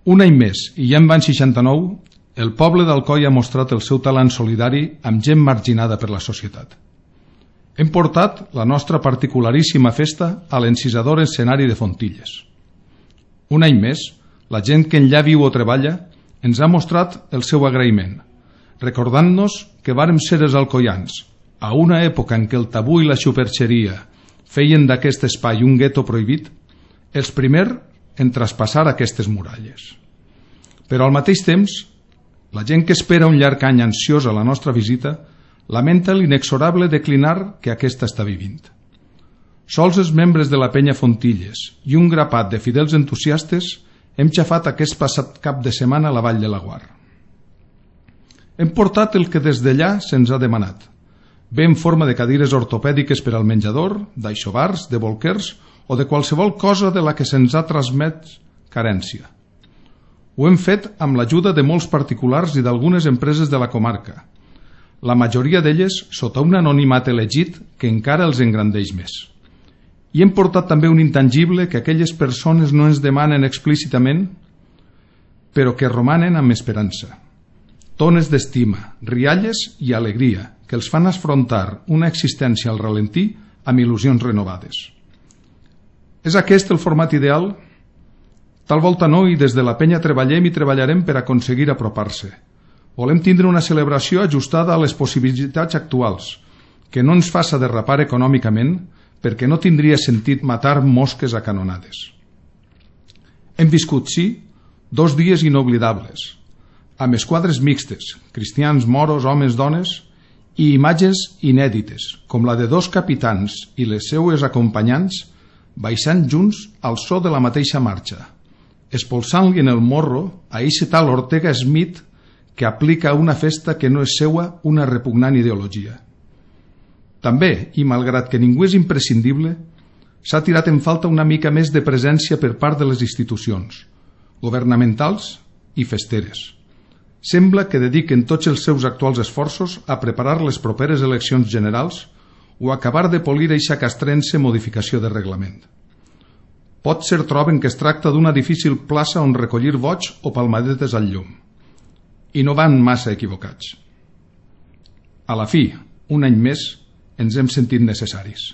Un any més, i ja en van 69, el poble d'Alcoi ha mostrat el seu talent solidari amb gent marginada per la societat. Hem portat la nostra particularíssima festa a l'encisador escenari de Fontilles. Un any més, la gent que enllà viu o treballa ens ha mostrat el seu agraïment, recordant-nos que vàrem ser els alcoians, a una època en què el tabú i la superxeria feien d'aquest espai un gueto prohibit, els primers en traspassar aquestes muralles. Però al mateix temps, la gent que espera un llarg any ansiosa a la nostra visita lamenta l'inexorable declinar que aquesta està vivint. Sols els membres de la penya Fontilles i un grapat de fidels entusiastes hem xafat aquest passat cap de setmana a la Vall de Laguar. Hem portat el que des d'allà se'ns ha demanat, bé en forma de cadires ortopèdiques per al menjador, d'aixovars, de bolquers o de qualsevol cosa de la que se'ns ha transmès carència. Ho hem fet amb l'ajuda de molts particulars i d'algunes empreses de la comarca, la majoria d'elles sota un anonimat elegit que encara els engrandeix més. I hem portat també un intangible que aquelles persones no ens demanen explícitament, però que romanen amb esperança. Tones d'estima, rialles i alegria que els fan afrontar una existència al ralentí amb il·lusions renovades. És aquest el format ideal? Tal volta no, i des de la penya treballem i treballarem per aconseguir apropar-se. Volem tindre una celebració ajustada a les possibilitats actuals, que no ens faça derrapar econòmicament, perquè no tindria sentit matar mosques a canonades. Hem viscut, sí, 2 dies inoblidables, amb esquadres mixtes, cristians, moros, homes, dones, i imatges inèdites, com la de 2 capitans i les seues acompanyants baixant junts al so de la mateixa marxa, espolsant-li en el morro a eixe tal Ortega Smith que aplica a una festa que no és seua una repugnant ideologia. També, i malgrat que ningú és imprescindible, s'ha tirat en falta una mica més de presència per part de les institucions, governamentals i festeres. Sembla que dediquen tots els seus actuals esforços a preparar les properes eleccions generals o a acabar de polir eixa castrense modificació de reglament. Potser troben que es tracta d'una difícil plaça on recollir vots o palmadetes al llum. I no van massa equivocats. A la fi, un any més, ens hem sentit necessaris.